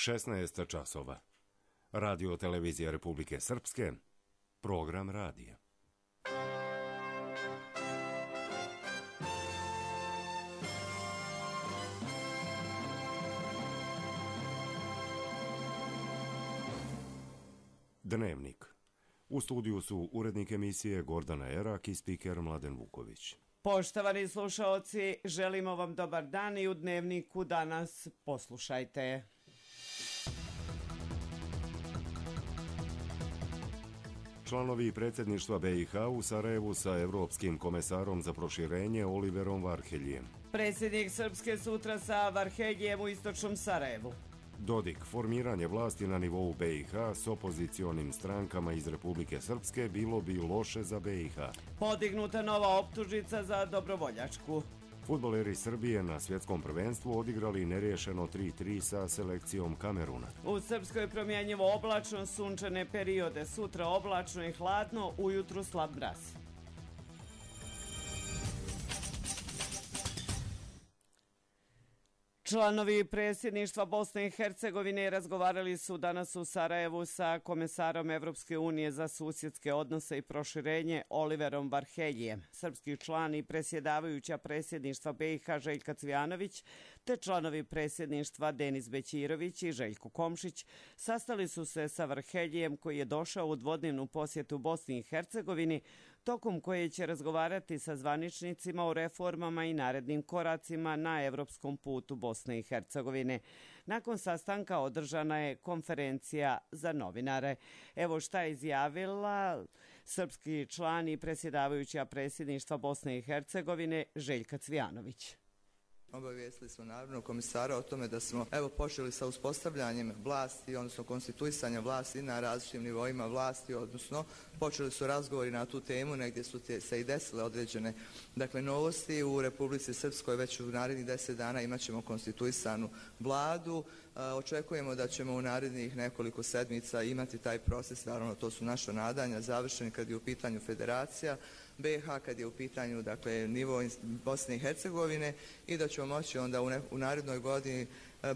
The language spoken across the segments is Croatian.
16 časova. Radio televizija Republike Srpske, program radija. Dnevnik. U studiju su urednik emisije Gordana Erak i spiker Mladen Vuković. Poštovani slušaoci, želimo vam dobar dan i u Dnevniku danas poslušajte. Članovi predsjedništva BiH u Sarajevu sa Evropskim komesarom za proširenje Oliverom Varheljijem. Predsjednik Srpske sutra sa Varheljijem u istočnom Sarajevu. Dodik, formiranje vlasti na nivou BiH s opozicionim strankama iz Republike Srpske bilo bi loše za BiH. Podignuta nova optužnica za dobrovoljačku. Fudbaleri Srbije na svjetskom prvenstvu odigrali neriješeno 3-3 sa selekcijom Kameruna. U Srpskoj promjenjivo oblačno, sunčane periode, sutra oblačno i hladno, ujutru slab mraz. Članovi predsjedništva Bosne i Hercegovine razgovarali su danas u Sarajevu sa komesarom Evropske unije za susjedske odnose i proširenje Oliverom Varheljijem. Srpski član i predsjedavajuća predsjedništva BiH Željka Cvijanović te članovi predsjedništva Denis Bećirović i Željko Komšić sastali su se sa Varheljijem koji je došao u dvodnevnu posjetu Bosni i Hercegovini, tokom koje će razgovarati sa zvaničnicima o reformama i narednim koracima na evropskom putu Bosne i Hercegovine. Nakon sastanka održana je konferencija za novinare. Evo šta je izjavila srpski član i predsjedavajuća predsjedništva Bosne i Hercegovine Željka Cvijanović. Obavijestili smo naravno komisara o tome da smo počeli sa uspostavljanjem vlasti, odnosno konstituisanja vlasti na različitim nivoima vlasti, odnosno počeli su razgovori na tu temu, negdje su se i desile određene novosti. U Republici Srpskoj već u narednih 10 dana imat ćemo konstituisanu vladu. Očekujemo da ćemo u narednih nekoliko sedmica imati taj proces, naravno to su naša nadanja, završeni kad je u pitanju federacija BiH, kad je u pitanju nivo Bosne i Hercegovine i da ćemo moći onda u narednoj godini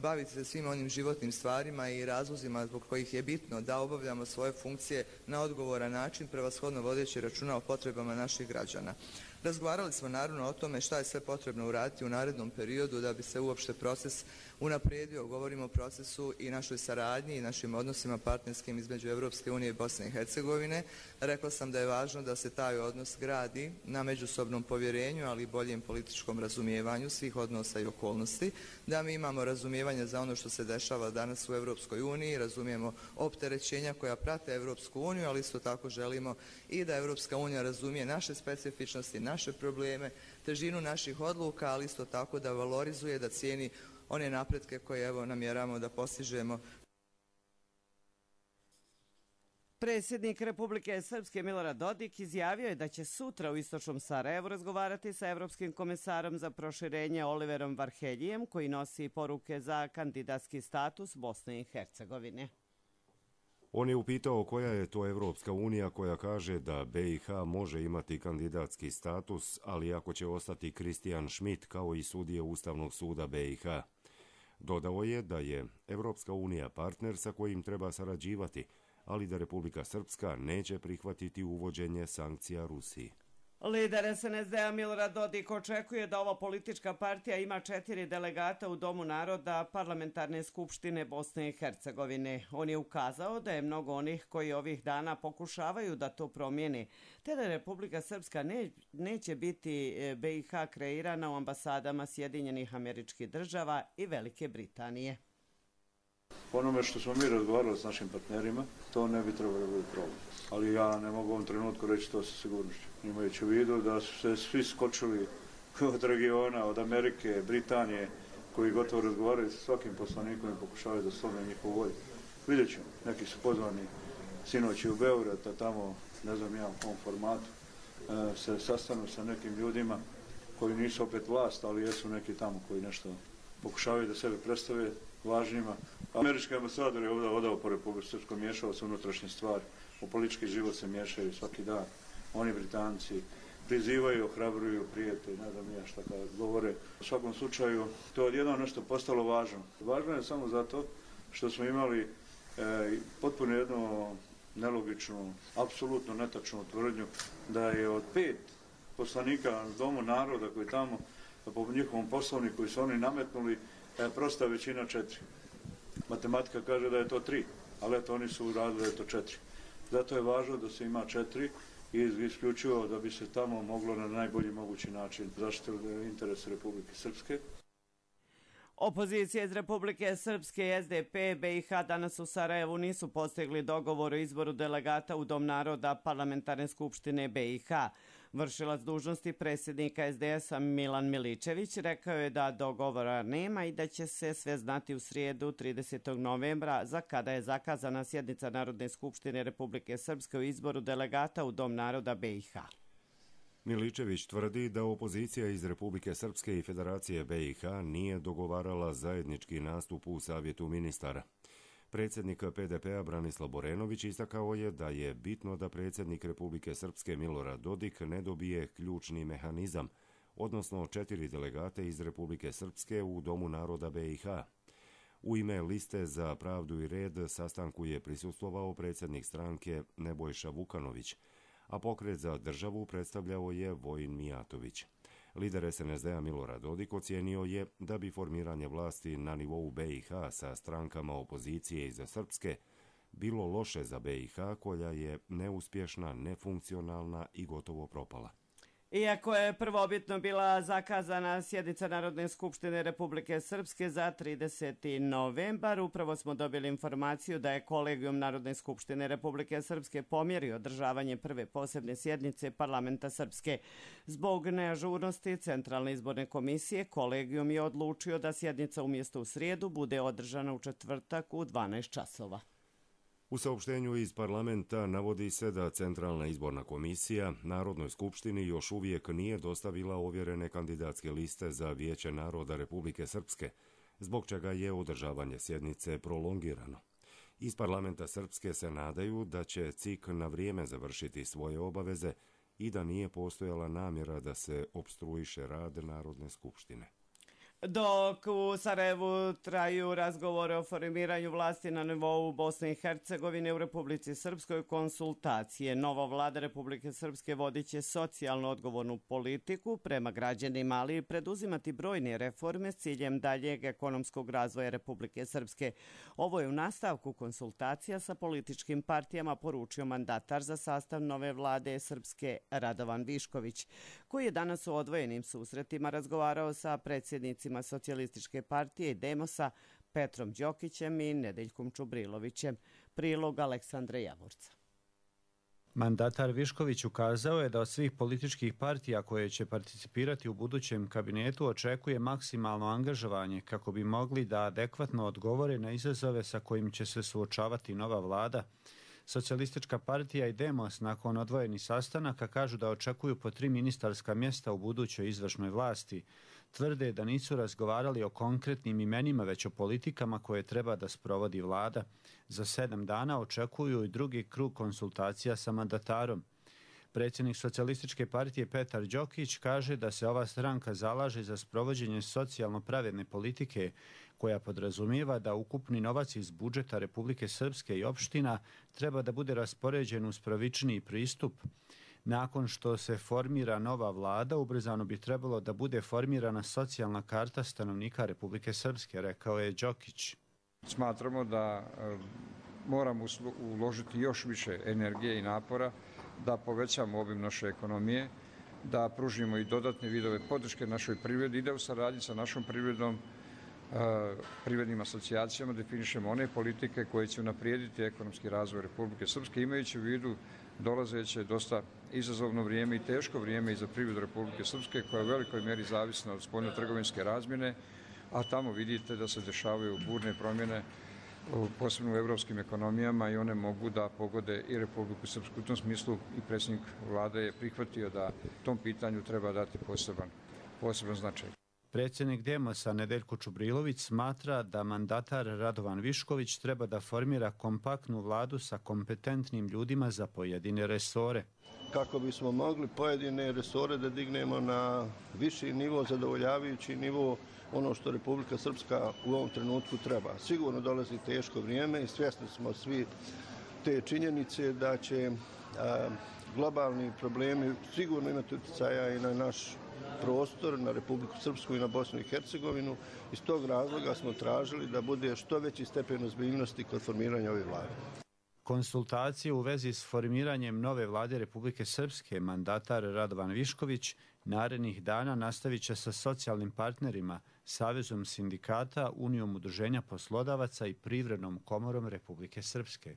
baviti se svim onim životnim stvarima i razlozima zbog kojih je bitno da obavljamo svoje funkcije na odgovoran način, prevashodno vodeći računa o potrebama naših građana. Razgovarali smo naravno o tome šta je sve potrebno uraditi u narednom periodu da bi se uopšte proces unaprijedio. Govorimo o procesu i našoj saradnji i našim odnosima partnerskim između Evropske unije i Bosne i Hercegovine. Rekla sam da je važno da se taj odnos gradi na međusobnom povjerenju, ali i boljem političkom razumijevanju svih odnosa i okolnosti, da mi imamo razumijevanje za ono što se dešava danas u Evropskoj uniji, razumijemo opterećenja koja prate Evropsku uniju, ali isto tako želimo i da Evropska unija razumije naše specifičnosti, naše probleme, težinu naših odluka, ali isto tako da valorizuje, da cijeni one napretke koje namjeramo da postižemo. Predsjednik Republike Srpske Milorad Dodik izjavio je da će sutra u istočnom Sarajevu razgovarati sa Evropskim komesarom za proširenje Oliverom Varheljijem koji nosi poruke za kandidatski status Bosne i Hercegovine. On je upitao koja je to Evropska unija koja kaže da BiH može imati kandidatski status, ali ako će ostati Kristijan Schmidt kao i sudije Ustavnog suda BiH. Dodao je da je Evropska unija partner sa kojim treba sarađivati, ali da Republika Srpska neće prihvatiti uvođenje sankcija Rusiji. Lider SNSD-a Milorad Dodik očekuje da ova politička partija ima 4 delegata u Domu naroda Parlamentarne skupštine Bosne i Hercegovine. On je ukazao da je mnogo onih koji ovih dana pokušavaju da to promijene, te da Republika Srpska neće biti BiH kreirana u ambasadama Sjedinjenih Američkih Država i Velike Britanije. Onome što smo mi razgovarali s našim partnerima, to ne bi trebalo biti problem. Ali ja ne mogu u ovom trenutku reći to sa sigurnošću. Imajući u vidu da su se svi skočili od regiona, od Amerike, Britanije, koji gotovo razgovaraju sa svakim poslanikom i pokušavaju da slome njihovu volju. Vidjet ćemo, neki su pozvani sinoć u Beograd, a tamo, ne znam ja u kom formatu, se sastanu sa nekim ljudima koji nisu opet vlast, ali jesu neki tamo koji nešto pokušavaju da sebe predstave važnima. Američki ambasador je ovdje po Republici Srpskoj miješao se unutrašnje stvari. U politički život se miješaju svaki dan. Oni Britanci prizivaju, ohrabruju, prijete, ne znam ja šta kada govore. U svakom slučaju, to je odjednom nešto postalo važno. Važno je samo zato što smo imali potpuno jednu nelogičnu, apsolutno netačnu tvrdnju da je od 5 poslanika Domu naroda koji tamo po njihovom poslovniku koji su oni nametnuli prosta većina 4. Matematika kaže da je to 3, ali eto oni su uradili da je to 4. Zato je važno da se ima 4 i isključivo da bi se tamo moglo na najbolji mogući način zaštititi interes Republike Srpske. Opozicija iz Republike Srpske i SDP BiH danas u Sarajevu nisu postigli dogovor o izboru delegata u Dom naroda Parlamentarne skupštine BiH. Vršilac dužnosti predsjednika SDS-a Milan Miličević rekao je da dogovora nema i da će se sve znati u srijedu 30. novembra za kada je zakazana sjednica Narodne skupštine Republike Srpske o izboru delegata u Dom naroda BiH. Miličević tvrdi da opozicija iz Republike Srpske i Federacije BiH nije dogovarala zajednički nastup u Savjetu ministara. Predsjednik PDP-a Branislav Borenović istakao je da je bitno da predsjednik Republike Srpske Milorad Dodik ne dobije ključni mehanizam, odnosno 4 delegate iz Republike Srpske u Domu naroda BiH. U ime Liste za pravdu i red sastanku je prisustvovao predsjednik stranke Nebojša Vukanović, a Pokret za državu predstavljao je Vojin Mijatović. Lider SNSD-a Milorad Dodik ocijenio je da bi formiranje vlasti na nivou BiH sa strankama opozicije iz Srpske bilo loše za BiH koja je neuspješna, nefunkcionalna i gotovo propala. Iako je prvobitno bila zakazana sjednica Narodne skupštine Republike Srpske za 30. novembar, upravo smo dobili informaciju da je Kolegijum Narodne skupštine Republike Srpske pomjerio održavanje prve posebne sjednice Parlamenta Srpske. Zbog neažurnosti Centralne izborne komisije, Kolegijum je odlučio da sjednica umjesto u srijedu bude održana u četvrtak u 12 časova. U saopštenju iz parlamenta navodi se da Centralna izborna komisija Narodnoj skupštini još uvijek nije dostavila ovjerene kandidatske liste za Vijeće naroda Republike Srpske, zbog čega je održavanje sjednice prolongirano. Iz parlamenta Srpske se nadaju da će CIK na vrijeme završiti svoje obaveze i da nije postojala namjera da se opstruiše rad Narodne skupštine. Dok u Sarajevu traju razgovore o formiranju vlasti na nivou Bosne i Hercegovine, u Republici Srpskoj konsultacije. Nova vlada Republike Srpske vodit će socijalno odgovornu politiku prema građanima, ali i preduzimati brojne reforme s ciljem daljeg ekonomskog razvoja Republike Srpske. Ovo je u nastavku konsultacija sa političkim partijama poručio mandatar za sastav nove vlade Srpske Radovan Višković, koji je danas u odvojenim susretima razgovarao sa predsjednicima Socijalističke partije i Demosa Petrom Đokićem i Nedeljkom Čubrilovićem. Prilog Aleksandra Javorca. Mandatar Višković ukazao je da od svih političkih partija koje će participirati u budućem kabinetu očekuje maksimalno angažovanje kako bi mogli da adekvatno odgovore na izazove sa kojim će se suočavati nova vlada. Socijalistička partija i Demos nakon odvojenih sastanaka kažu da očekuju po 3 ministarska mjesta u budućoj izvršnoj vlasti. Tvrde da nisu razgovarali o konkretnim imenima, već o politikama koje treba da sprovodi vlada. Za 7 dana očekuju i drugi krug konsultacija sa mandatarom. Predsjednik Socijalističke partije Petar Đokić kaže da se ova stranka zalaže za sprovođenje socijalno pravedne politike koja podrazumijeva da ukupni novac iz budžeta Republike Srpske i opština treba da bude raspoređen uz pravičniji pristup. Nakon što se formira nova vlada, ubrzano bi trebalo da bude formirana socijalna karta stanovnika Republike Srpske, rekao je Đokić. Smatramo da moramo uložiti još više energije i napora da povećamo obim naše ekonomije, da pružimo i dodatne vidove podrške našoj privredi i da u saradnji sa našom privredom, privrednim asocijacijama definišemo one politike koje će unaprijediti ekonomski razvoj Republike Srpske, imajući u vidu dolazeće dosta izazovno vrijeme i teško vrijeme i za privredu Republike Srpske, koja je u velikoj mjeri zavisna od spoljno-trgovinske razmjene, a tamo vidite da se dešavaju burne promjene, posebno u evropskim ekonomijama, i one mogu da pogode i Republiku Srpsku. U tom smislu i predsjednik vlade je prihvatio da tom pitanju treba dati poseban značaj. Predsjednik Demosa Nedeljko Čubrilović smatra da mandatar Radovan Višković treba da formira kompaktnu vladu sa kompetentnim ljudima za pojedine resore. Kako bismo mogli pojedine resore da dignemo na viši nivo, zadovoljavajući nivo, ono što Republika Srpska u ovom trenutku treba. Sigurno dolazi teško vrijeme i svjesni smo svi te činjenice da će globalni problemi sigurno imati utjecaja i na naš prostor, na Republiku Srpsku i na Bosnu i Hercegovinu. Iz tog razloga smo tražili da bude što veći stepen ozbiljnosti kod formiranja ove vlade. Konsultacije u vezi s formiranjem nove vlade Republike Srpske mandatar Radovan Višković narednih dana nastavit će sa socijalnim partnerima, Savezom sindikata, Unijom udruženja poslodavaca i Privrednom komorom Republike Srpske.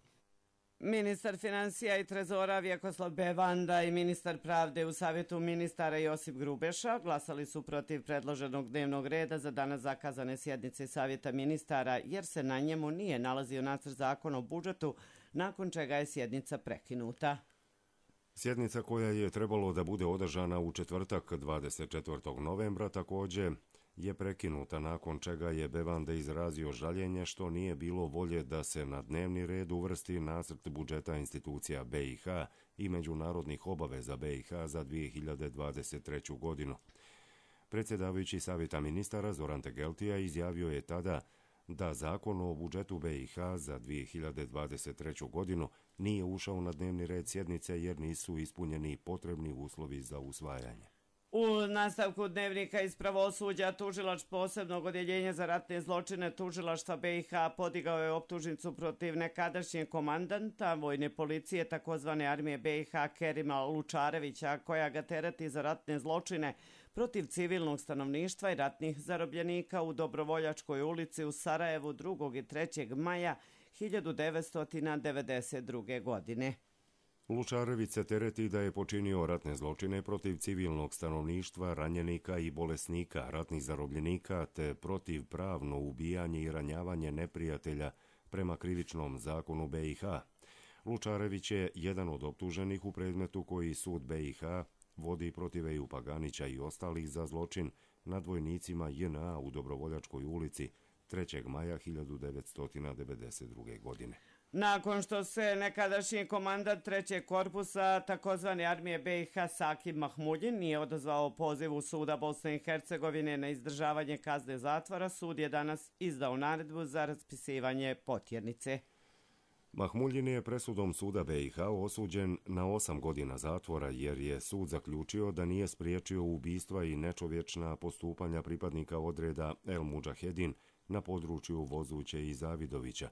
Ministar financija i trezora Vjekoslav Bevanda i ministar pravde u Savjetu ministara Josip Grubeša glasali su protiv predloženog dnevnog reda za danas zakazane sjednice Savjeta ministara jer se na njemu nije nalazio nacrt zakona o budžetu, nakon čega je sjednica prekinuta. Sjednica koja je trebalo da bude održana u četvrtak 24. novembra također je prekinuta, nakon čega je Bevanda izrazio žaljenje što nije bilo volje da se na dnevni red uvrsti nacrt budžeta institucija BiH i međunarodnih obaveza BiH za 2023. godinu. Predsjedavajući Savjeta ministara Zoran Tegeltija izjavio je tada da zakon o budžetu BiH za 2023. godinu nije ušao na dnevni red sjednice jer nisu ispunjeni potrebni uslovi za usvajanje. U nastavku dnevnika iz pravosuđa tužilač posebnog odjeljenja za ratne zločine tužilaštva BiH podigao je optužnicu protiv nekadašnjeg komandanta vojne policije takozvane armije BiH Kerima Lučarevića, koja ga tereti za ratne zločine protiv civilnog stanovništva i ratnih zarobljenika u Dobrovoljačkoj ulici u Sarajevu 2. i 3. maja 1992. godine. Lučarević se tereti da je počinio ratne zločine protiv civilnog stanovništva, ranjenika i bolesnika, ratnih zarobljenika te protiv pravno ubijanje i ranjavanje neprijatelja prema krivičnom zakonu BiH. Lučarević je jedan od optuženih u predmetu koji sud BiH vodi protiv Eju Paganića i ostalih za zločin nad vojnicima JNA u Dobrovoljačkoj ulici 3. maja 1992. godine. Nakon što se nekadašnji komandant 3. korpusa takozvane armije BiH Saki Mahmuljin nije odazvao pozivu suda Bosne i Hercegovine na izdržavanje kazne zatvora, sud je danas izdao naredbu za raspisivanje potjernice. Mahmuljin je presudom suda BiH osuđen na 8 godina zatvora jer je sud zaključio da nije spriječio ubistva i nečovječna postupanja pripadnika odreda El Mudžahedin na području Vozuće i Zavidovića.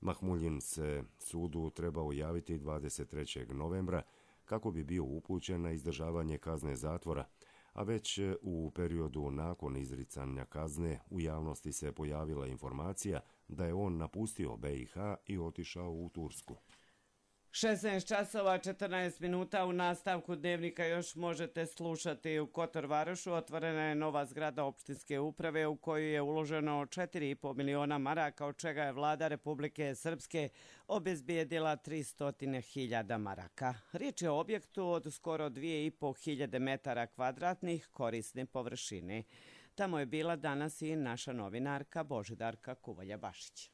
Mahmuljin se sudu trebao javiti 23. novembra kako bi bio upućen na izdržavanje kazne zatvora, a već u periodu nakon izricanja kazne u javnosti se pojavila informacija da je on napustio BiH i otišao u Tursku. 16 časova 14 minuta u nastavku dnevnika još možete slušati. U Kotor Varošu otvorena je nova zgrada opštinske uprave u koju je uloženo 4,5 miliona maraka, od čega je vlada Republike Srpske obezbijedila 300.000 maraka. Riječ je o objektu od skoro 2.500 metara kvadratnih korisne površine. Tamo je bila danas i naša novinarka Božidarka Kuvalja-Bašić.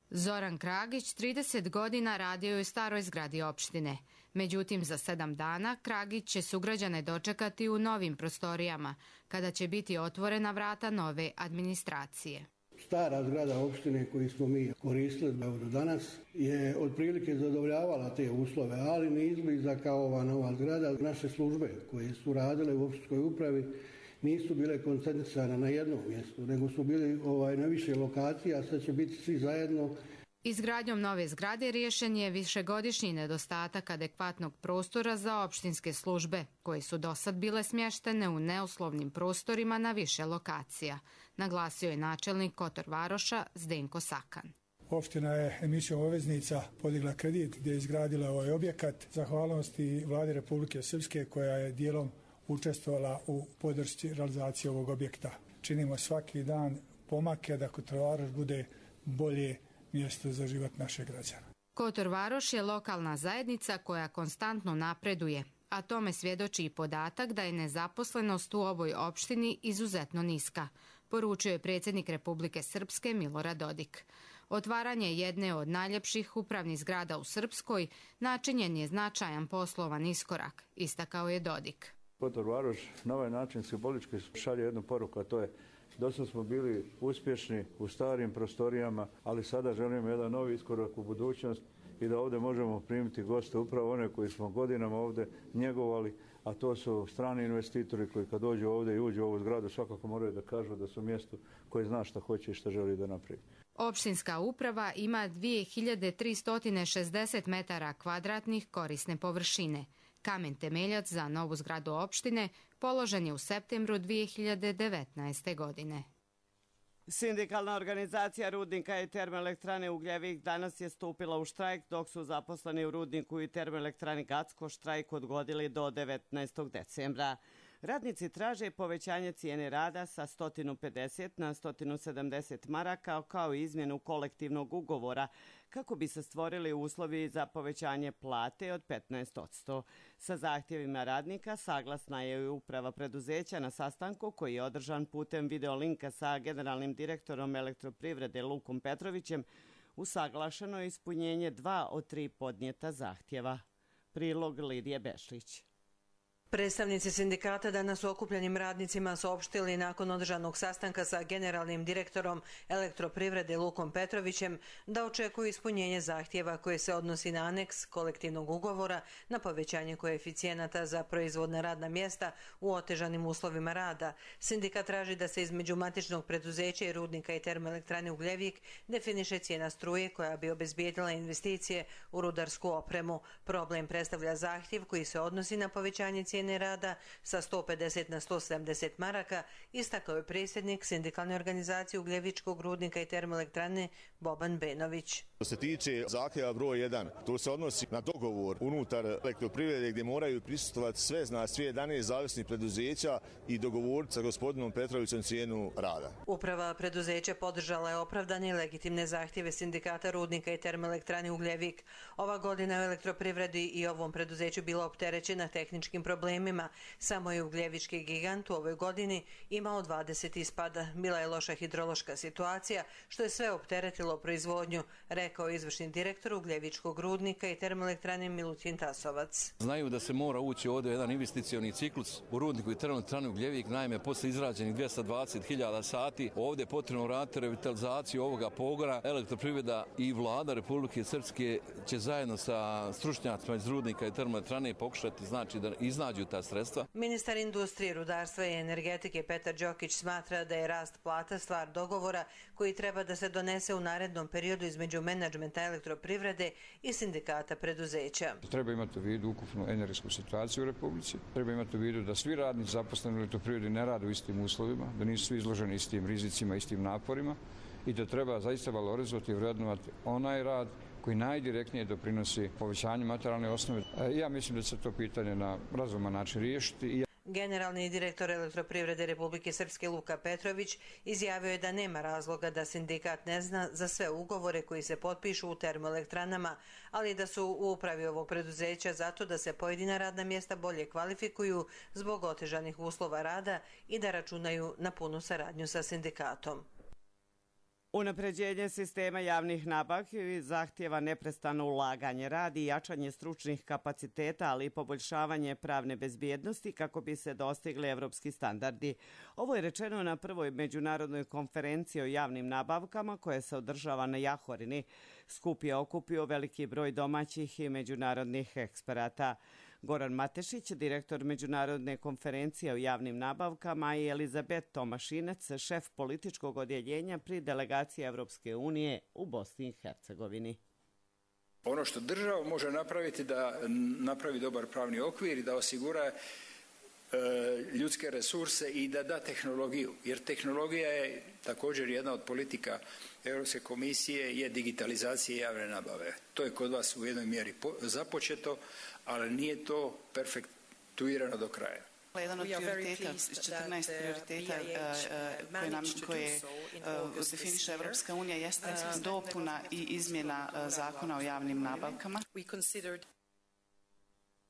Zoran Kragić 30 godina radio je u staroj zgradi opštine. Međutim, za 7 dana Kragić će sugrađane dočekati u novim prostorijama, kada će biti otvorena vrata nove administracije. Stara zgrada opštine koju smo mi koristili do danas je otprilike zadovoljavala te uslove, ali ne izbliza kao ova nova zgrada. Naše službe koje su radile u opštinskoj upravi nisu bile koncentrisane na jednom mjestu, nego su bili na više lokacija, a sad će biti svi zajedno. Izgradnjom nove zgrade riješen je višegodišnji nedostatak adekvatnog prostora za opštinske službe, koje su dosad bile smještene u neuslovnim prostorima na više lokacija, naglasio je načelnik Kotor Varoša Zdenko Sakan. Opština je emisijom obveznica podigla kredit gdje je izgradila ovaj objekat, zahvalnosti vladi Republike Srpske koja je dijelom učestvovala u podršci realizacije ovog objekta. Činimo svaki dan pomake da Kotor Varoš bude bolje mjesto za život naših građana. Kotor Varoš je lokalna zajednica koja konstantno napreduje. A tome svjedoči i podatak da je nezaposlenost u ovoj opštini izuzetno niska, poručio je predsjednik Republike Srpske Milorad Dodik. Otvaranje jedne od najljepših upravnih zgrada u Srpskoj načinjen je značajan poslovan iskorak, istakao je Dodik. Kotor Varoš na ovaj način simbolički šalje jednu poruku, a to je dosad smo bili uspješni u starim prostorijama, ali sada želimo jedan novi iskorak u budućnost i da ovdje možemo primiti goste, upravo one koji smo godinama ovdje njegovali, a to su strani investitori koji kad dođu ovdje i uđu u ovu zgradu svakako moraju da kažu da su mjesto koje zna šta hoće i šta želi da napravi. Opštinska uprava ima 2360 metara kvadratnih korisne površine. Kamen temeljac za novu zgradu opštine položen je u septembru 2019. godine. Sindikalna organizacija rudnika i termoelektrane Ugljevik danas je stupila u štrajk, dok su zaposleni u rudniku i termoelektrani Gacko štrajk odgodili do 19. decembra. Radnici traže povećanje cijene rada sa 150 na 170 maraka kao i izmjenu kolektivnog ugovora kako bi se stvorili uslovi za povećanje plate od 15%. Sa zahtjevima radnika saglasna je i uprava preduzeća na sastanku koji je održan putem videolinka sa generalnim direktorom Elektroprivrede Lukom Petrovićem. Usaglašeno je ispunjenje 2 od 3 podnijeta zahtjeva. Prilog Lidije Bešlić. Predstavnici sindikata danas su okupljenim radnicima saopštili nakon održanog sastanka sa generalnim direktorom Elektroprivrede Lukom Petrovićem da očekuju ispunjenje zahtjeva koje se odnosi na aneks kolektivnog ugovora na povećanje koeficijenata za proizvodna radna mjesta u otežanim uslovima rada. Sindikat traži da se između matičnog preduzeća i rudnika i termoelektrane Ugljevik definiše cijena struje koja bi obezbijedila investicije u rudarsku opremu. Problem predstavlja zahtjev koji se odnosi na povećanje cijene rada sa 150 na 170 maraka, istakao je predsjednik sindikalne organizacije Ugljevičkog rudnika i termoelektrane Boban Benović. Što se tiče zahtjeva broj 1, to se odnosi na dogovor unutar Elektroprivrede gdje moraju prisustvovati sve 11 zavisnih preduzeća i dogovoriti sa gospodinom Petrovićem cijenu rada. Uprava preduzeća podržala je opravdane i legitimne zahtjeve sindikata rudnika i termoelektrane Ugljevik. Ova godina u Elektroprivredi i ovom preduzeću bila opterećena tehničkim problemima. Samo je Ugljevički gigant u ovoj godini imao 20 ispada. Bila je loša hidrološka situacija, što je sve opteretilo proizvodnju, rekao izvršni direktor Ugljevičkog rudnika i termoelektrane Milutin Tasovac. Znaju da se mora ući ovdje jedan investicioni ciklus u rudniku i termoelektrani Ugljevik. Naime, posle izrađenih 220.000 sati ovdje je potrebno raditi revitalizaciju ovoga pogona. Elektroprivreda i vlada Republike Srpske će zajedno sa stručnjacima iz rudnika i termoelektrane pokušati znači da iznađu ta sredstva. Ministar industrije, rudarstva i energetike Petar Đokić smatra da je rast plata stvar dogovora koji treba da se donese u narednom periodu između menadžmenta Elektroprivrede i sindikata preduzeća. Treba imati u vidu ukupnu energetsku situaciju u Republici. Treba imati u vidu da svi radnici zaposleni u Elektroprivredi ne rade u istim uslovima, da nisu svi izloženi istim rizicima, istim naporima i da treba zaista valorizovati i vrednovati onaj rad koji najdirektnije doprinosi povećanju materijalne osnove. Ja mislim da će se to pitanje na razuman način riješiti. Generalni direktor Elektroprivrede Republike Srpske Luka Petrović izjavio je da nema razloga da sindikat ne zna za sve ugovore koji se potpišu u termoelektranama, ali da su u upravi ovog preduzeća zato da se pojedina radna mjesta bolje kvalifikuju zbog otežanih uslova rada i da računaju na punu saradnju sa sindikatom. Unapređenje sistema javnih nabavki zahtjeva neprestano ulaganje, rad i jačanje stručnih kapaciteta, ali i poboljšavanje pravne bezbjednosti kako bi se dostigli evropski standardi. Ovo je rečeno na prvoj međunarodnoj konferenciji o javnim nabavkama koja se održava na Jahorini. Skup je okupio veliki broj domaćih i međunarodnih eksperata. Goran Matešić, direktor Međunarodne konferencije o javnim nabavkama, i Elizabet Tomašinec, šef političkog odjeljenja pri delegaciji Evropske unije u Bosni i Hercegovini. Ono što država može napraviti da napravi dobar pravni okvir i da osigura ljudske resurse i da da tehnologiju, jer tehnologija je također jedna od politika Europske komisije je digitalizacija javne nabave. To je kod vas u jednoj mjeri započeto, ali nije to perfektuirano do kraja. Jedan od prioriteta, 14 prioriteta koje definiše Evropska unija jeste dopuna i izmjena zakona o javnim nabavkama.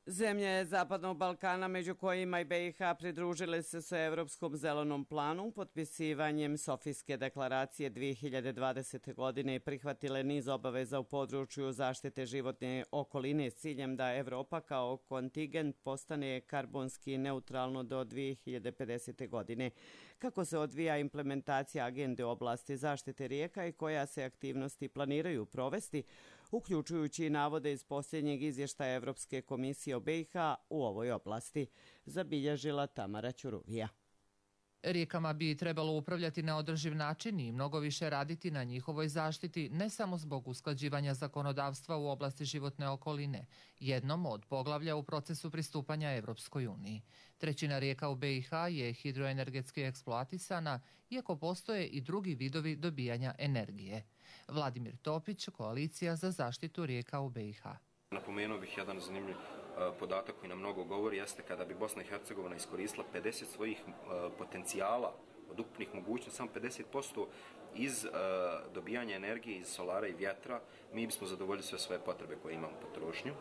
Zemlje Zapadnog Balkana, među kojima i BiH, pridružile se Evropskom zelenom planu potpisivanjem Sofijske deklaracije 2020. godine i prihvatile niz obaveza u području zaštite životne okoline s ciljem da Evropa kao kontingent postane karbonski neutralno do 2050. godine. Kako se odvija implementacija agende u oblasti zaštite rijeka i koja se aktivnosti planiraju provesti, uključujući navode iz posljednjeg izvještaja Evropske komisije o BiH u ovoj oblasti, zabilježila Tamara Ćuruvija. Rijekama bi trebalo upravljati na održiv način i mnogo više raditi na njihovoj zaštiti, ne samo zbog usklađivanja zakonodavstva u oblasti životne okoline, jednom od poglavlja u procesu pristupanja Evropskoj uniji. Trećina rijeka u BiH je hidroenergetski eksploatisana, iako postoje i drugi vidovi dobijanja energije. Vladimir Topić, Koalicija za zaštitu rijeka u BiH. Napomenuo bih jedan zanimljiv podatak koji nam mnogo govori, jeste kada bi Bosna i Hercegovina iskoristila 50 svojih potencijala od ukupnih mogućnosti, samo 50% iz dobijanja energije iz solara i vjetra, mi bismo zadovoljili sve svoje potrebe koje imamo potrošnju.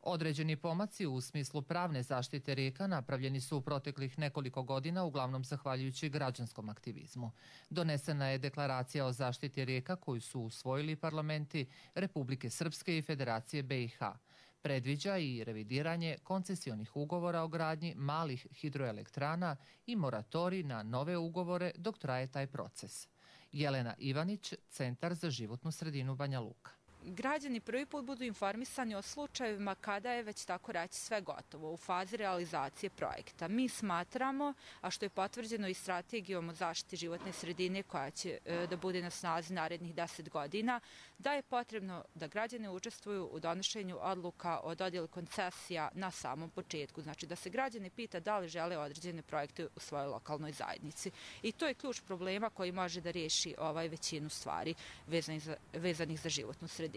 Određeni pomaci u smislu pravne zaštite rijeka napravljeni su u proteklih nekoliko godina, uglavnom zahvaljujući građanskom aktivizmu. Donesena je deklaracija o zaštiti rijeka koju su usvojili parlamenti Republike Srpske i Federacije BiH. Predviđa i revidiranje koncesionih ugovora o gradnji malih hidroelektrana i moratorij na nove ugovore dok traje taj proces. Jelena Ivanić, Centar za životnu sredinu Banja Luka. Građani prvi put budu informisani o slučajevima kada je već tako reći sve gotovo u fazi realizacije projekta. Mi smatramo, a što je potvrđeno i strategijom o zaštiti životne sredine koja će da bude na snazi narednih 10 godina, da je potrebno da građani učestvuju u donošenju odluka o dodjeli koncesija na samom početku. Znači da se građani pita da li žele određene projekte u svojoj lokalnoj zajednici. I to je ključ problema koji može da riješi većinu stvari vezanih za životnu sredinu.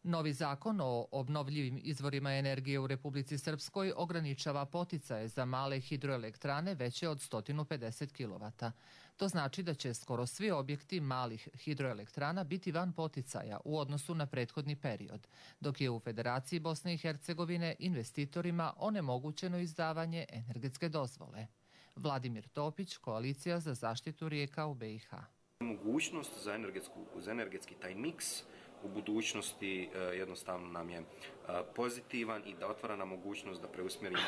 Novi zakon o obnovljivim izvorima energije u Republici Srpskoj ograničava poticaje za male hidroelektrane veće od 150 kW. To znači da će skoro svi objekti malih hidroelektrana biti van poticaja u odnosu na prethodni period, dok je u Federaciji Bosne i Hercegovine investitorima onemogućeno izdavanje energetske dozvole. Vladimir Topić, Koalicija za zaštitu rijeka u BiH. Mogućnost za energetski taj miks u budućnosti jednostavno nam je pozitivan i da otvara nam mogućnost da preusmjerimo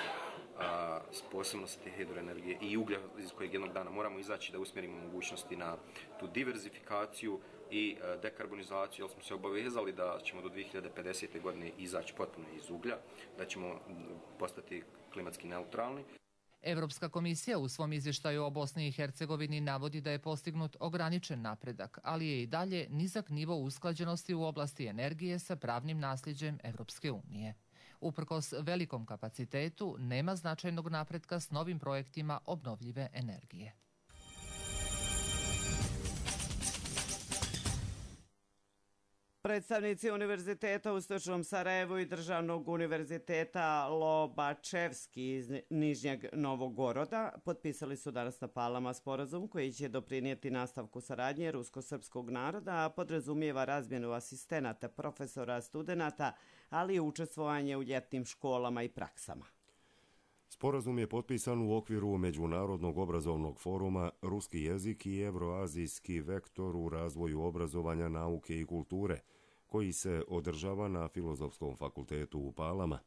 sposobnosti hidroenergije i uglja iz kojeg jednog dana moramo izaći, da usmjerimo mogućnosti na tu diverzifikaciju i dekarbonizaciju, jer smo se obavezali da ćemo do 2050. godine izaći potpuno iz uglja, da ćemo postati klimatski neutralni. Evropska komisija u svom izvještaju o Bosni i Hercegovini navodi da je postignut ograničen napredak, ali je i dalje nizak nivo usklađenosti u oblasti energije sa pravnim nasljeđem Evropske unije. Uprkos velikom kapacitetu, nema značajnog napretka s novim projektima obnovljive energije. Predstavnici Univerziteta u Istočnom Sarajevu i Državnog univerziteta Lobačevski iz Nižnjeg Novogoroda potpisali su danas na Palama sporazum koji će doprinijeti nastavku saradnje rusko-srpskog naroda, a podrazumijeva razmjenu asistenata, profesora, studenata, ali i učestvovanje u ljetnim školama i praksama. Sporazum je potpisan u okviru Međunarodnog obrazovnog foruma Ruski jezik i Evroazijski vektor u razvoju obrazovanja, nauke i kulture, koji se održava na Filozofskom fakultetu u Palama,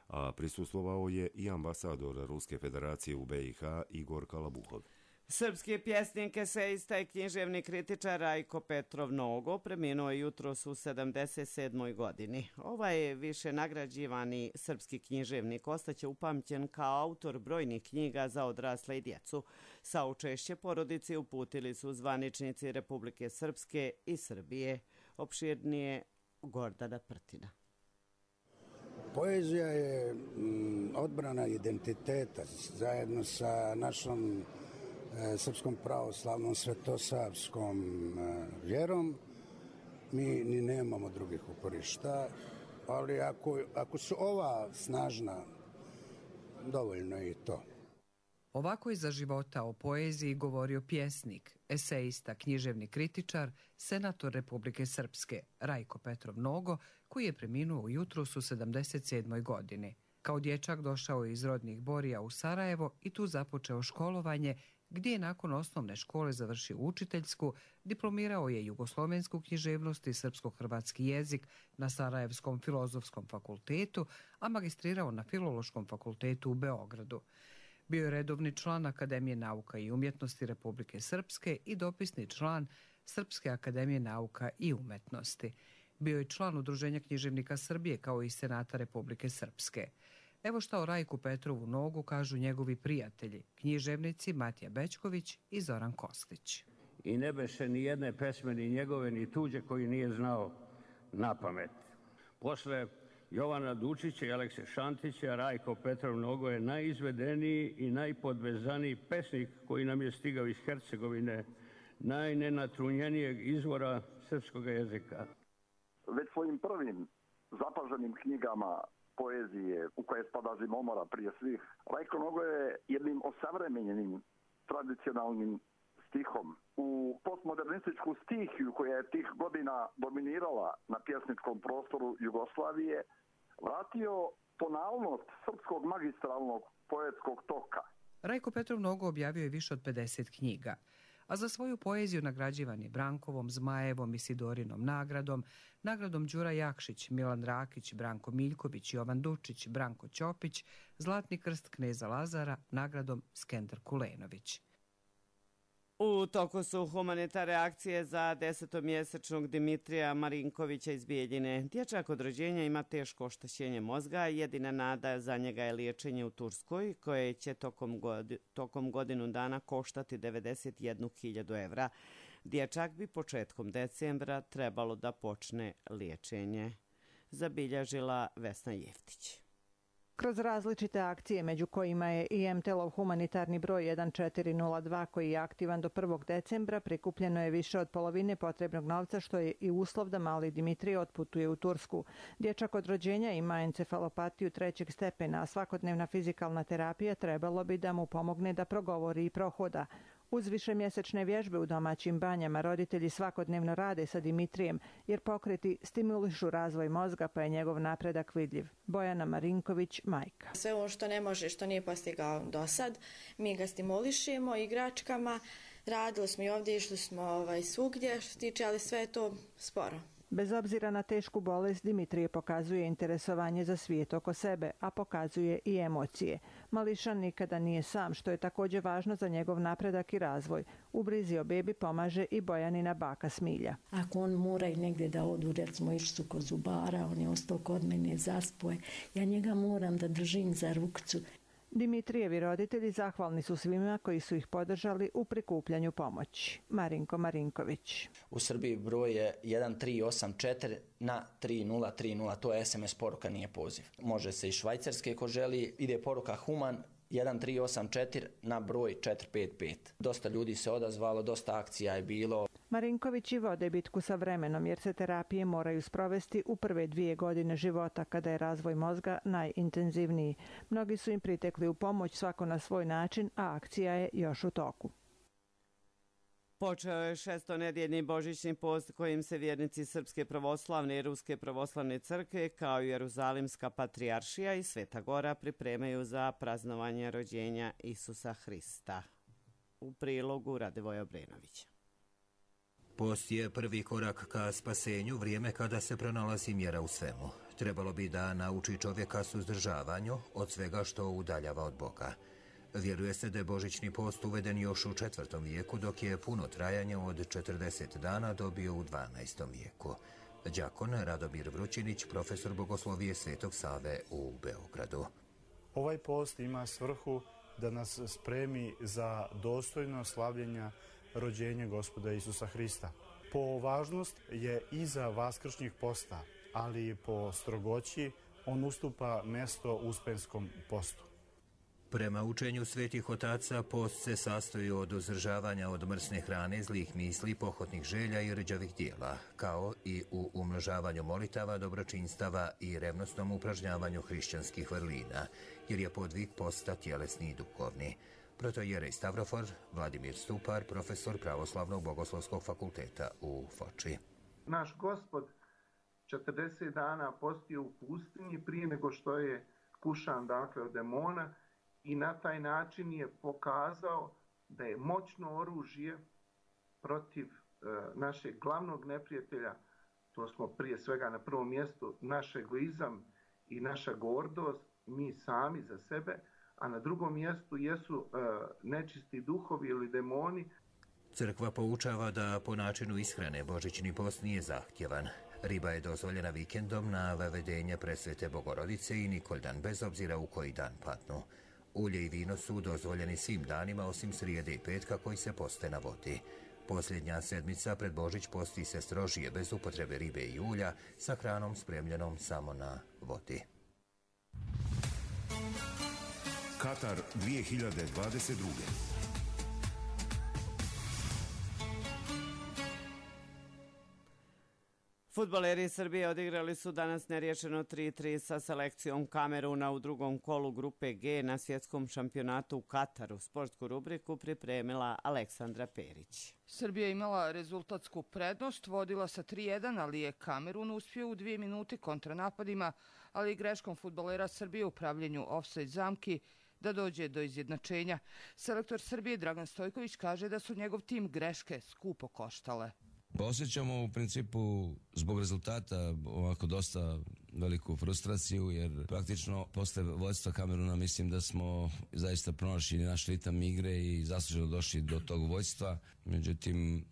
a prisustvovao je i ambasador Ruske federacije u BiH Igor Kalabuhov. Srpski pjesnik, esejista i književni kritičar Rajko Petrov Nogo preminuo je jutros u 77. godini. Ovaj više nagrađivani srpski književnik ostaće upamćen kao autor brojnih knjiga za odrasle i djecu. Saučešće porodici uputili su zvaničnici Republike Srpske i Srbije. Opširnije Gordana Prtina. Poezija je odbrana identiteta zajedno sa našom srpskom pravoslavnom svetosavskom vjerom. Mi ni nemamo drugih uporišta, ali ako su ova snažna, dovoljno je i to. Ovako je za života o poeziji govorio pjesnik, esejista, književni kritičar, senator Republike Srpske Rajko Petrov Nogo, koji je preminuo jutros u 77. godini. Kao dječak došao je iz rodnih Borija u Sarajevo i tu započeo školovanje, gdje je nakon osnovne škole završio učiteljsku, diplomirao je jugoslovensku književnost i srpsko-hrvatski jezik na Sarajevskom filozofskom fakultetu, a magistrirao na Filološkom fakultetu u Beogradu. Bio je redovni član Akademije nauka i umjetnosti Republike Srpske i dopisni član Srpske akademije nauka i umetnosti. Bio je član Udruženja književnika Srbije kao i Senata Republike Srpske. Evo šta o Rajku Petrovu Nogu kažu njegovi prijatelji, književnici Matija Bećković i Zoran Kostić. I ne beše ni jedne pesme, ni njegove, ni tuđe, koji nije znao na pamet. Posle Jovana Dučića i Alekse Šantića, Rajko Petrov Nogo je najizvedeniji i najpodvezaniji pesnik koji nam je stigao iz Hercegovine, najnenatrunjenijeg izvora srpskog jezika. Već svojim prvim zapaženim knjigama poezije, u koje spada Zimomora prije svih, Rajko Nogo je jednim osavremenjenim tradicionalnim stihom u postmodernističku stihiju koja je tih godina dominirala na pjesničkom prostoru Jugoslavije vratio tonalnost srpskog magistralnog poetskog toka. Rajko Petrov Nogo objavio je više od 50 knjiga, a za svoju poeziju nagrađivan je Brankovom, Zmajevom i Sidorinom nagradom, nagradom Đura Jakšić, Milan Rakić, Branko Miljković, Jovan Dučić, Branko Ćopić, Zlatni krst kneza Lazara, nagradom Skender Kulenović. U toku su humanitarne akcije za 10-mjesečnog Dimitrija Marinkovića iz Bijeljine. Dječak od rođenja ima teško oštećenje mozga. Jedina nada za njega je liječenje u Turskoj, koje će tokom godinu dana koštati 91.000 evra. Dječak bi početkom decembra trebalo da počne liječenje, zabilježila Vesna Jeftić. Kroz različite akcije, među kojima je i MTL-ov humanitarni broj 1402 koji je aktivan do 1. decembra, prikupljeno je više od polovine potrebnog novca, što je i uslov da mali Dimitrij otputuje u Tursku. Dječak od rođenja ima encefalopatiju 3. stepena, a svakodnevna fizikalna terapija trebalo bi da mu pomogne da progovori i prohoda. Uz višemjesečne vježbe u domaćim banjama roditelji svakodnevno rade sa Dimitrijem, jer pokreti stimulišu razvoj mozga, pa je njegov napredak vidljiv. Bojana Marinković, majka. Sve ovo što ne može, što nije postigao do sad, mi ga stimulišemo igračkama. Radili smo i ovdje, išli smo svugdje, što tiče, ali sve je to sporo. Bez obzira na tešku bolest, Dimitrije pokazuje interesovanje za svijet oko sebe, a pokazuje i emocije. Mališan nikada nije sam, što je također važno za njegov napredak i razvoj. U brizi o bebi pomaže i Bojanina baka Smilja. Ako on mora i negdje da odu, recimo išli su kod zubara, on je ostao kod mene, zaspoje, ja njega moram da držim za rukcu. Dimitrijevi roditelji zahvalni su svima koji su ih podržali u prikupljanju pomoći. Marinko Marinković. U Srbiji broj je 1384 na 3030, to je SMS poruka, nije poziv. Može se i švajcarske ko želi, ide poruka Human 1384 na broj 455. Dosta ljudi se odazvalo, dosta akcija je bilo. Marinkovići vode bitku sa vremenom jer se terapije moraju sprovesti u prve 2 godine života kada je razvoj mozga najintenzivniji. Mnogi su im pritekli u pomoć, svako na svoj način, a akcija je još u toku. Počeo je 6-nedjeljni božićni post kojim se vjernici Srpske pravoslavne i Ruske pravoslavne crkve kao i Jeruzalimska patrijaršija i Sveta Gora pripremaju za praznovanje rođenja Isusa Hrista. U prilogu Radivoj Obrenović. Post je prvi korak ka spasenju, vrijeme kada se pronalazi mjera u svemu. Trebalo bi da nauči čovjeka suzdržavanju od svega što udaljava od Boga. Vjeruje se da je božićni post uveden još u 4. vijeku, dok je puno trajanje od 40 dana dobio u 12. vijeku. Đakon Radomir Vrućinić, profesor bogoslovije Svetog Save u Beogradu. Ovaj post ima svrhu da nas spremi za dostojno slavljenja rođenja Gospoda Isusa Hrista. Po važnost je iza vaskršnjeg posta, ali po strogoći on ustupa mjesto uspenskom postu. Prema učenju svetih otaca, post se sastoji od uzdržavanja od mrsne hrane, zlih misli, pohotnih želja i rđavih dijela, kao i u umnožavanju molitava, dobročinstava i revnosnom upražnjavanju hrišćanskih vrlina, jer je podvig posta tjelesni i duhovni. Protojerej Stavrofor Vladimir Stupar, profesor Pravoslavnog bogoslovskog fakulteta u Foči. Naš Gospod 40 dana postio u pustinji prije nego što je skušan dakle od demona i na taj način je pokazao da je moćno oružje protiv našeg glavnog neprijatelja, to smo prije svega na prvom mjestu naš egoizam i naša gordost, mi sami za sebe, a na drugom mjestu jesu nečisti duhovi ili demoni. Crkva poučava da po načinu ishrane božićni post nije zahtjevan. Riba je dozvoljena vikendom na Vavedenje Presvete Bogorodice i Nikoldan, bez obzira u koji dan padnu. Ulje i vino su dozvoljeni svim danima osim srijede i petka koji se poste na vodi. Posljednja sedmica pred Božić posti se strožije bez upotrebe ribe i ulja sa hranom spremljenom samo na vodi. Katar 2022. Fudbaleri Srbije odigrali su danas neriješeno 3-3 sa selekcijom Kameruna u drugom kolu grupe G na svjetskom šampionatu u Kataru. Sportsku rubriku pripremila Aleksandra Perić. Srbija je imala rezultatsku prednost, vodila sa 3-1, ali je Kamerun uspio u 2 minute kontranapadima, ali i greškom fudbalera Srbije u pravljenju ofsajd zamki da dođe do izjednačenja. Selektor Srbije Dragan Stojković kaže da su njegov tim greške skupo koštale. Osjećamo u principu zbog rezultata ovako dosta veliku frustraciju, jer praktično posle vodstva Kameruna mislim da smo zaista pronašli naš ritam igre i zasluženo došli do tog vodstva. Međutim,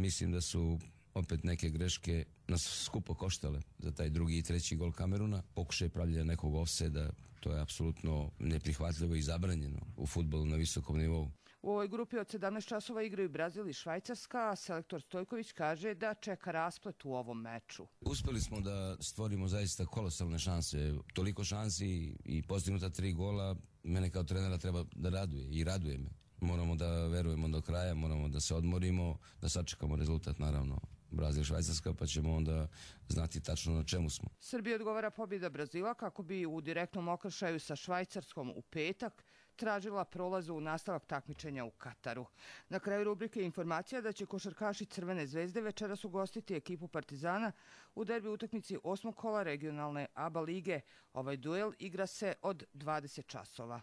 mislim da su opet neke greške nas skupo koštale za taj drugi i treći gol Kameruna. Pokušaj pravljenja nekog ofsajda, to je apsolutno neprihvatljivo i zabranjeno u fudbalu na visokom nivou. U ovoj grupi od 17 časova igraju Brazil i Švajcarska, a selektor Stojković kaže da čeka rasplet u ovom meču. Uspeli smo da stvorimo zaista kolosalne šanse, toliko šansi i postignuta 3 gola, mene kao trenera treba da raduje i raduje me. Moramo da verujemo do kraja, moramo da se odmorimo, da sačekamo rezultat naravno. Brazil i Švajcarska, pa ćemo onda znati tačno na čemu smo. Srbiji odgovara pobjeda Brazila kako bi u direktnom okršaju sa Švajcarskom u petak tražila prolazu u nastavak takmičenja u Kataru. Na kraju rubrike je informacija da će košarkaši Crvene zvezde večeras ugostiti ekipu Partizana u derbi utakmici 8. kola regionalne ABA lige. Ovaj duel igra se od 20 časova.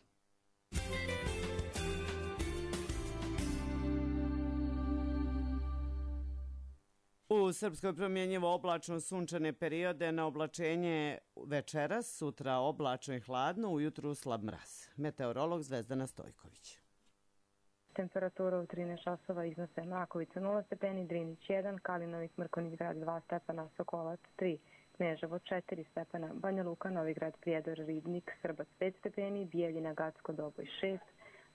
U Srpskoj promjenjivo oblačno sunčane periode, na oblačenje večeras, sutra oblačno i hladno, ujutru slab mraz. Meteorolog Zvezdana Stojković. Temperatura u 13 časova iznose Makovica 0 stepeni, Drinić 1, Kalinovik, Mrkonjić grad 2 stepena, Sokolac 3, Kneževo 4 stepena, Banja Luka, Novigrad, Prijedor, Ribnik, Srbac 5 stepeni, Bijeljina, Gacko, Doboj 6,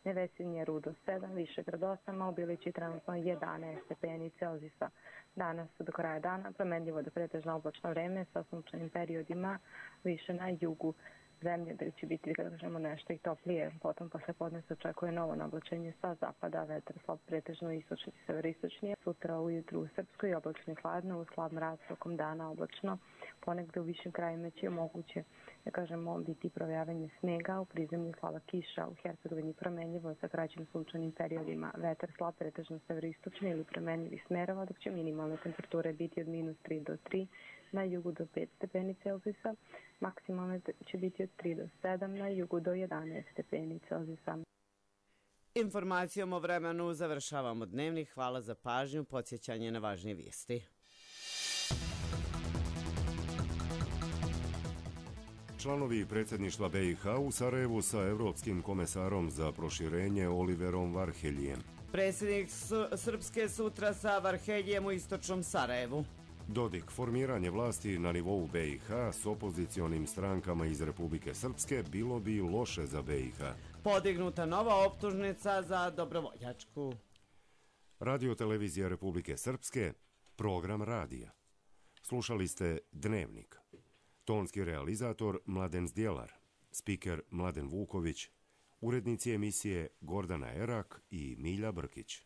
Nevesinje, Rudo 7, Višegrad 8, a u Bilići trenutno 11 stepeni Celzijusa. Danas do kraja dana promenljivo do pretežno oblačno vreme sa sunčanim periodima više na jugu zemlje, gdje će biti, kada kažemo, nešto i toplije. Potom posle podne se očekuje novo nablačenje sa zapada, vetar slab pretežno istočni i severistočni. Sutra ujutru u Srpskoj oblačno i hladno, u slab mraz tokom dana oblačno. Ponegde u višim krajima će moguće, da kažemo, biti provejavanje snega, u prizemlju slaba kiša, u Hercegovini promenljivo sa kraćim sunčanim periodima. Vetar slab pretežno severistočni ili promenljivi smerova, dok će minimalne temperature biti od -3 do 3, na jugu do 5 stepeni Celzijusa, maksimalne će biti od 3 do 7, na jugu do 11 stepeni Celzijusa. Informacijom o vremenu završavamo dnevnik. Hvala za pažnju, podsjećanje na važnije vijesti. Članovi predsjedništva BiH u Sarajevu sa Evropskim komesarom za proširenje Oliverom Varheljijem. Predsjednik Srpske sutra sa Varheljijem u istočnom Sarajevu. Dodik, formiranje vlasti na nivou BiH s opozicionim strankama iz Republike Srpske bilo bi loše za BiH. Podignuta nova optužnica za dobrovoljačku. Radio televizija Republike Srpske, program radija. Slušali ste Dnevnik. Tonski realizator Mladen Zdjelar, spiker Mladen Vuković, urednici emisije Gordana Erak i Milja Brkić.